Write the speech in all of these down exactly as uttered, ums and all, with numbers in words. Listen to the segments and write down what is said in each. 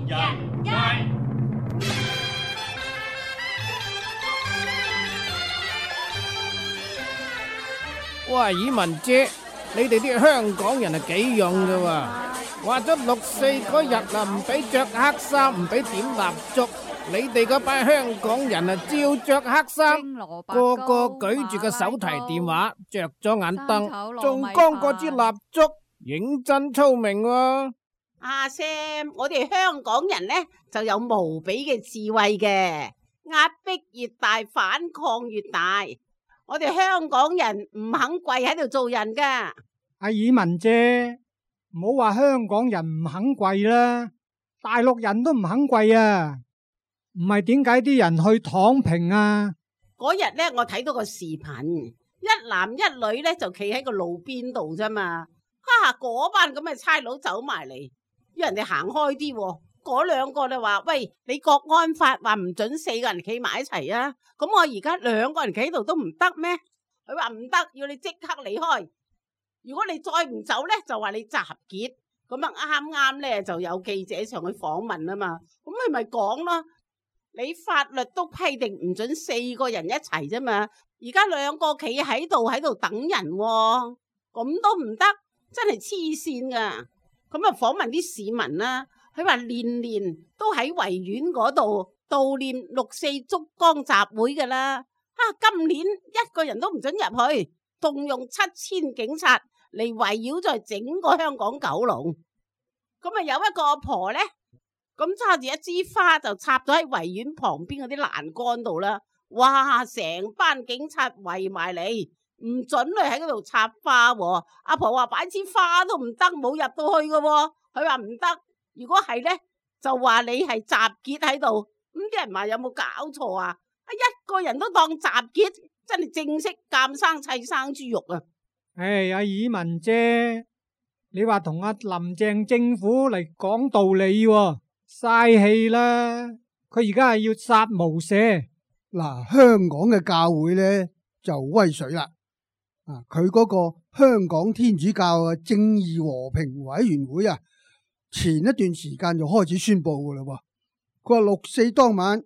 人街。喂，爾文姐，你哋啲香港人係幾勇噶喎？話咗六四嗰日啊，唔俾着黑衫，唔俾點蠟燭。你哋嗰班香港人啊，照着黑衫，個個舉住個手提電話，着咗眼燈，仲光過支蠟燭，認真聰明喎。阿 Sam，我哋香港人呢就有無比嘅智慧嘅，壓迫越大，反抗越大。我哋香港人唔肯跪喺度做人噶。阿爾文姐，唔好話香港人唔肯跪啦，大陸人都唔肯跪啊！唔係點解啲人去躺平啊？嗰日呢，我睇到個視頻，一男一女呢就企喺個路邊度啫嘛。哈，嗰班咁嘅差佬走埋嚟，要人哋行開啲喎。嗰兩個就話：喂，你國安法話唔准四個人企埋一齊啊！咁我而家兩個人企喺度都唔得咩？佢話唔得，要你即刻離開。如果你再唔走呢，就話你集結。咁啊啱啱呢就有記者上去訪問啊嘛。咁你咪講咯，你法律都批定唔准四個人一齊啫嘛。而家兩個企喺度喺度等人喎，咁都唔得，真係黐線噶。咁啊訪問啲市民啦。佢話年年都喺維園嗰度悼念六四燭光集會噶啦，啊今年一個人都唔准入去，動用七千警察嚟圍繞在整個香港九龍。咁啊有一個阿婆呢，咁揸住一支花就插咗喺維園旁邊嗰啲欄杆度啦，哇成班警察圍埋嚟，唔准你喺嗰度插花喎。阿婆話擺支花都唔得，冇入到去噶喎。佢話唔得。如果係呢，就話你係集結喺度，咁啲人話有冇搞錯啊？啊一個人都當集結，真係正式監生砌生豬肉啊！唉，阿爾文姐，你話同阿林鄭政府嚟講道理喎，嘥氣啦！佢而家係要殺無赦。嗱，香港嘅教會呢，就威水啦，啊，佢嗰個香港天主教嘅正義和平委員會啊。前一段時間就開始宣布噶啦，佢話六四當晚，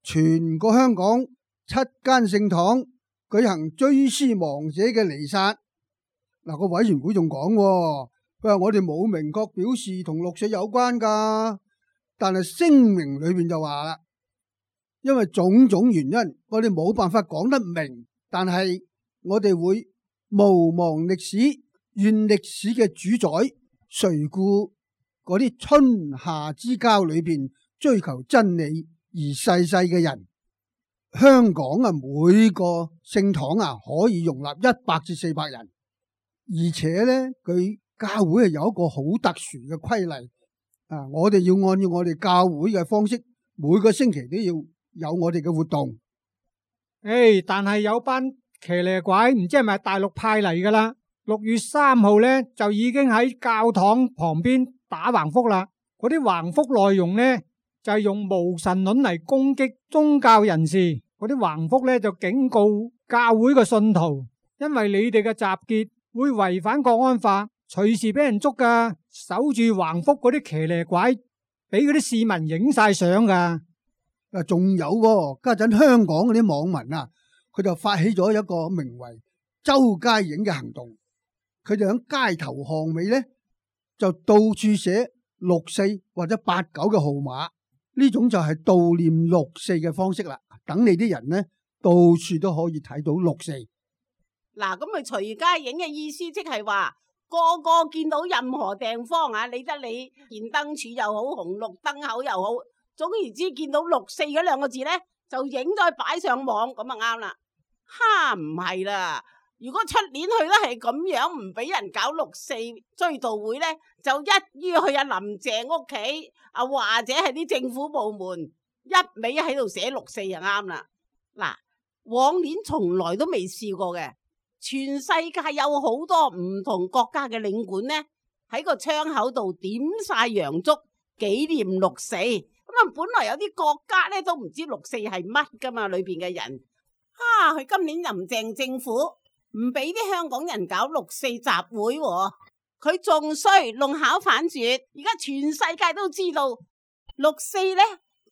全個香港七間聖堂舉行追思亡者嘅彌撒。嗱，個委員會仲講，佢話我哋冇明確表示同六四有關噶，但係聲明裏邊就話啦，因為種種原因，我哋冇辦法講得明，但係我哋會毋忘歷史，願歷史嘅主宰垂顧嗰啲春夏之交裏邊追求真理而逝世嘅人。香港啊，每個聖堂啊可以容納一百至四百人，而且呢，佢教會係有一個好特殊嘅規例啊，我哋要按照我哋教會嘅方式，每個星期都要有我哋嘅活動。誒，但係有班騎呢鬼，唔知係咪大陸派嚟噶啦？六月三號呢，就已經喺教堂旁邊打橫幅啦，嗰啲橫幅內容呢就係用無神論嚟攻擊宗教人士，嗰啲橫幅呢就警告教會嘅信徒，因為你哋嘅集結會違反國安法，隨時俾人捉噶。守住橫幅嗰啲騎呢鬼，俾嗰啲市民影晒相噶。啊，仲有喎，家陣香港嗰啲網民啊，佢就發起咗一個名為周街影嘅行動，佢就喺街頭巷尾呢，就到處寫六四或者八九嘅號碼，呢種就係悼念六四嘅方式啦。等你啲人呢，到處都可以睇到六四。嗱，咁佢隨街影嘅意思，即係話個個見到任何地方啊，理得你電燈柱又好，紅綠燈口又好，總言之見到六四嗰兩個字呢，就影咗擺上網，咁啊啱啦。哈，唔係啦。如果出年去都係咁樣，唔俾人搞六四追悼會呢，就一於去阿林鄭屋企啊，或者係啲政府部門一味喺度寫六四就啱啦。嗱，往年從來都未試過嘅，全世界有好多唔同國家嘅領館呢，喺個窗口度點晒洋燭紀念六四。咁啊，本來有啲國家呢都唔知六四係乜噶嘛，裏邊嘅人，啊，佢今年林鄭政府唔俾啲香港人搞六四集會喎，佢仲衰弄巧反拙，而家全世界都知道六四呢，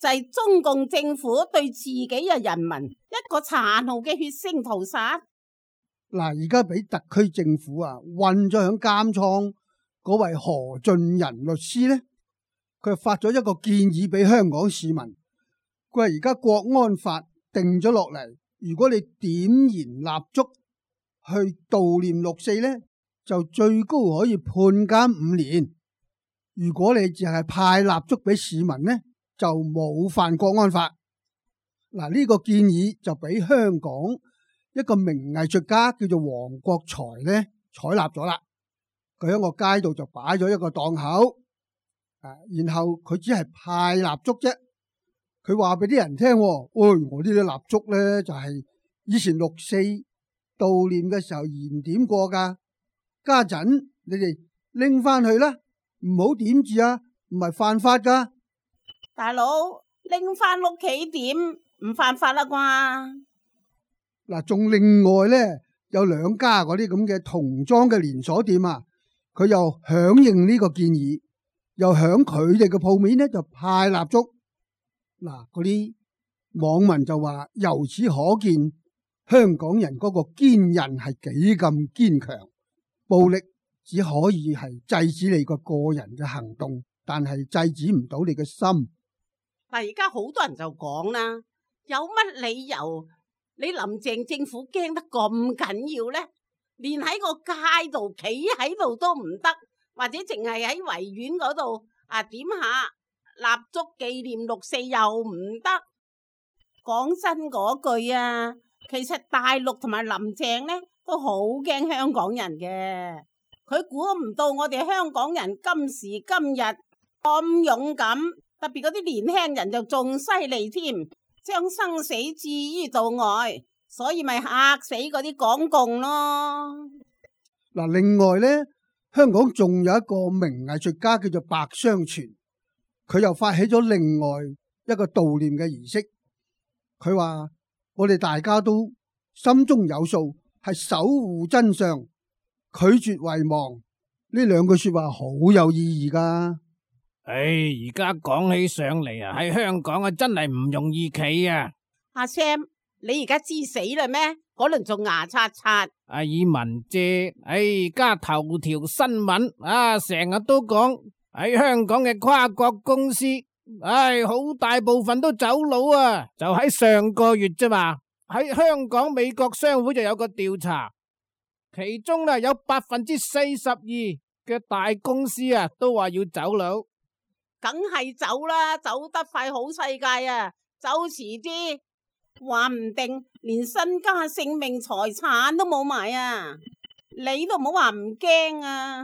就係中共政府對自己嘅人民一個殘酷嘅血腥屠殺。嗱，而家俾特區政府啊困咗響監倉嗰位何俊仁律師呢，佢發咗一個建議俾香港市民。佢話而家國安法定咗落嚟，如果你點燃蠟燭去悼念六四呢，就最高可以判監五年。如果你淨係派蠟燭俾市民呢，就冇犯國安法。嗱，呢個建議就俾香港一個名藝術家叫做黃國財呢採納咗啦。佢喺個街度就擺咗一個檔口，啊，然後佢只係派蠟燭啫。佢話俾啲人聽，喂，我呢啲蠟燭呢，就係以前六四悼念嘅時候燃點過噶，家陣你哋拎翻去啦，唔好點住啊，唔係犯法噶。大佬拎翻屋企點唔犯法啦啩？嗱，仲另外呢，有兩家嗰啲咁嘅童裝嘅連鎖店啊，佢又響應呢個建議，又響佢哋嘅鋪面呢就派蠟燭。嗱，嗰啲網民就話，由此可見香港人嗰個堅韌係幾咁堅強。暴力只可以係制止你個個人嘅行動，但係制止唔到你嘅心。但而家好多人就講啦，有乜理由你林鄭政府驚得咁緊要呢？連喺個街度企喺度都唔得，或者淨係喺維園嗰度啊點下蠟燭紀念六四又唔得。講真嗰句啊，其實大陸同埋林鄭呢都好驚香港人嘅。佢估唔到我哋香港人今時今日咁勇敢，特別嗰啲年輕人就仲犀利添，將生死置於度外，所以咪嚇死嗰啲港共咯。嗱，另外呢，香港仲有一個名藝術家叫做白雙全，佢又發起咗另外一個悼念嘅儀式。佢話我哋大家都心中有數，係守護真相，拒絕遺忘。呢兩句說話好有意義噶。唉，而家講起上嚟啊，喺香港啊真係唔容易企啊。阿 Sam，你而家知死啦咩？嗰輪仲牙刷刷。阿爾文姐，唉，而家頭條新聞啊，成日都講喺香港嘅跨國公司，唉，好大部分都走佬啊。就喺上個月啫嘛，喺香港美國商會就有個調查，其中呢有百分之四十二嘅大公司啊都話要走佬。梗係走啦，走得快好世界啊，走遲啲話唔定連身家性命財產都冇埋啊！你都唔好話唔驚啊！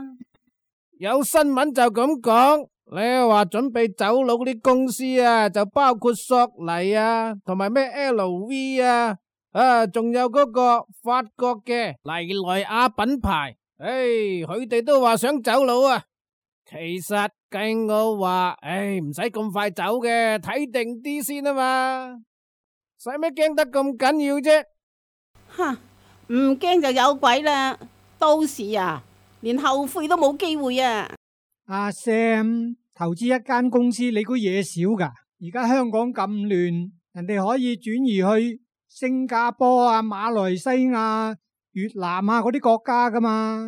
有新聞就咁講，你話準備走佬啲公司啊，就包括索尼啊，同埋咩 L V 啊，啊，仲有嗰個法國嘅黎萊雅品牌，唉，佢哋都話想走佬啊。其實計我話，唉，唔使咁快走嘅，睇定啲先啊嘛，使咩驚得咁緊要啫？吓，唔驚就有鬼啦，到時啊，連後悔都冇機會啊！阿 Sam，投資一間公司，你估嘢少噶？而家香港咁亂，人哋可以轉移去新加坡啊、馬來西亞、越南啊嗰啲國家噶嘛。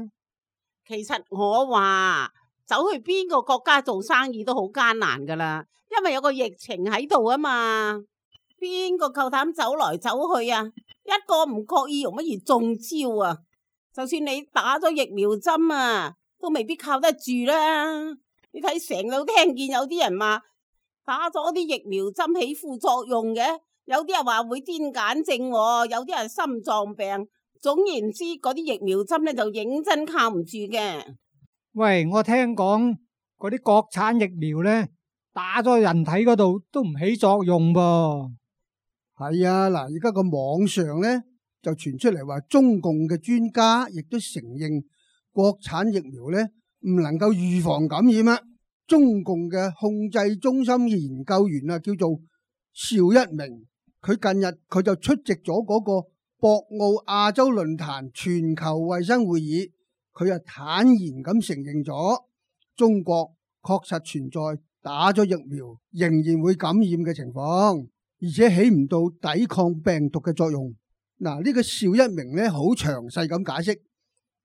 其實我話，走去邊個國家做生意都好艱難噶啦，因為有個疫情喺度啊嘛，邊個夠膽走來走去啊？一個唔覺意容乜而中招啊！就算你打咗疫苗針啊，都未必靠得住啦。你睇成日都聽見有啲人話打咗啲疫苗針起副作用嘅，有啲人話會癲癇症，有啲人心臟病，總言之，嗰啲疫苗針咧就認真靠唔住嘅。喂，我聽講嗰啲國產疫苗咧，打咗人體嗰度都唔起作用噃。係啊，嗱，而家個網上咧就傳出嚟話，中共嘅專家亦都承認國產疫苗咧唔能夠預防感染啊。中共嘅控制中心嘅研究員啊，叫做邵一鳴，佢近日佢就出席咗嗰個博鰲亞洲論壇全球衛生會議。佢又坦然咁承認咗，中國確實存在打咗疫苗仍然會感染嘅情況，而且起唔到抵抗病毒嘅作用。嗱，呢個邵一鳴咧好詳細咁解釋，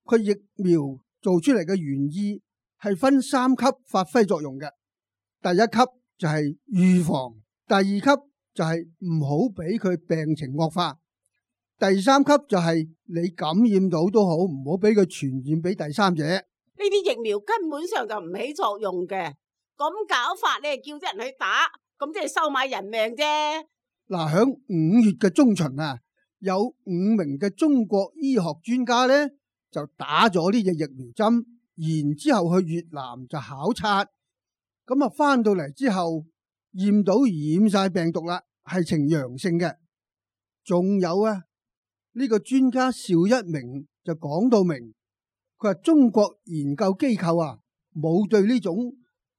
佢疫苗做出嚟嘅原意係分三級發揮作用嘅。第一級就係預防，第二級就係唔好俾佢病情惡化，第三級就係你感染到都好，唔好俾佢傳染俾第三者。呢啲疫苗根本上就唔起作用嘅，咁搞法你係叫啲人去打，咁即係收買人命啫。嗱，響五月嘅中旬啊，有五名嘅中國醫學專家咧就打咗呢隻疫苗針，然之後去越南就考察，咁啊翻到嚟之後驗到染晒病毒啦，係呈陽性嘅。仲有啊，呢個專家邵一鳴就講到明，佢話中國研究機構啊冇對呢種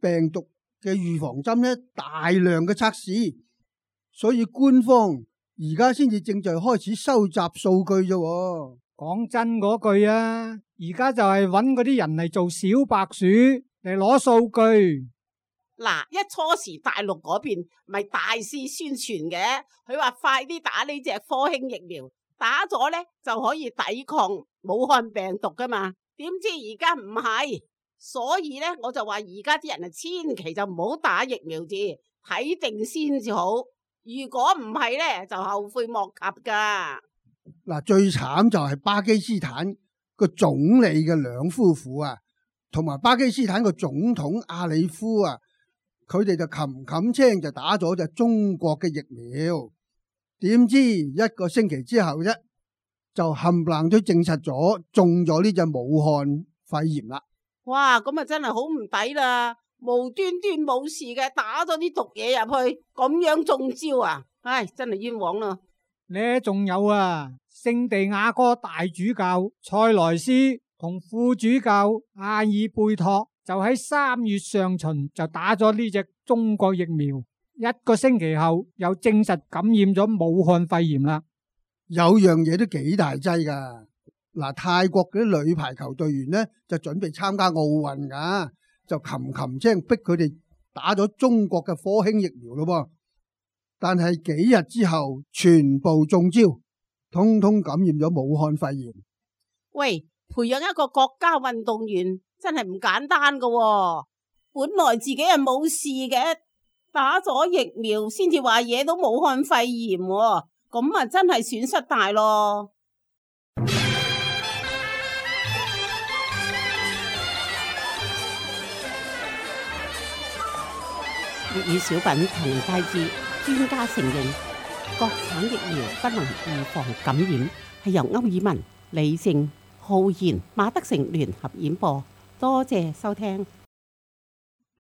病毒嘅預防針咧大量嘅測試，所以官方而家先至正在開始收集數據啫。講真嗰句啊，而家就係揾嗰啲人嚟做小白鼠嚟攞數據。嗱，一初時大陸嗰邊咪大肆宣傳嘅，佢話快啲打呢隻科興疫苗，打咗呢就可以抵抗武漢病毒噶嘛。點知而家唔係，所以呢，我就話而家啲人啊，千祈就唔好打疫苗字，睇定先至好。如果唔係呢，就後悔莫及噶。嗱，最慘就係巴基斯坦個總理嘅兩夫婦啊，同埋巴基斯坦個總統阿里夫啊，佢哋就冚冚青就打咗隻中國嘅疫苗，點知一個星期之後啫，就冚唪唥都證實咗中咗呢隻武漢肺炎啦。哇，咁啊真係好唔抵啦，無端端冇事嘅打咗啲毒嘢入去，咁樣中招啊！唉，真係冤枉啦。呢仲有啊，聖地亞哥大主教塞萊斯同副主教阿爾貝托就喺三月上旬就打咗呢隻中國疫苗，一個星期後又證實感染咗武漢肺炎啦。有樣嘢都幾大劑噶，嗱，泰國嗰啲女排球隊員呢，就準備參加奧運噶，就擒擒青逼佢哋打咗中國嘅科興疫苗咯噃。但係幾日之後，全部中招，通通感染咗武漢肺炎。喂，培養一個國家運動員真係唔簡單噶喎，本來自己係冇事嘅，打咗疫苗先至話惹到武漢肺炎喎，咁啊真係損失大咯。粵語小品同人帶智，專家承認國產疫苗不能預防感染，係由歐爾文、李靜、浩然、馬德成聯合演播。多謝收聽。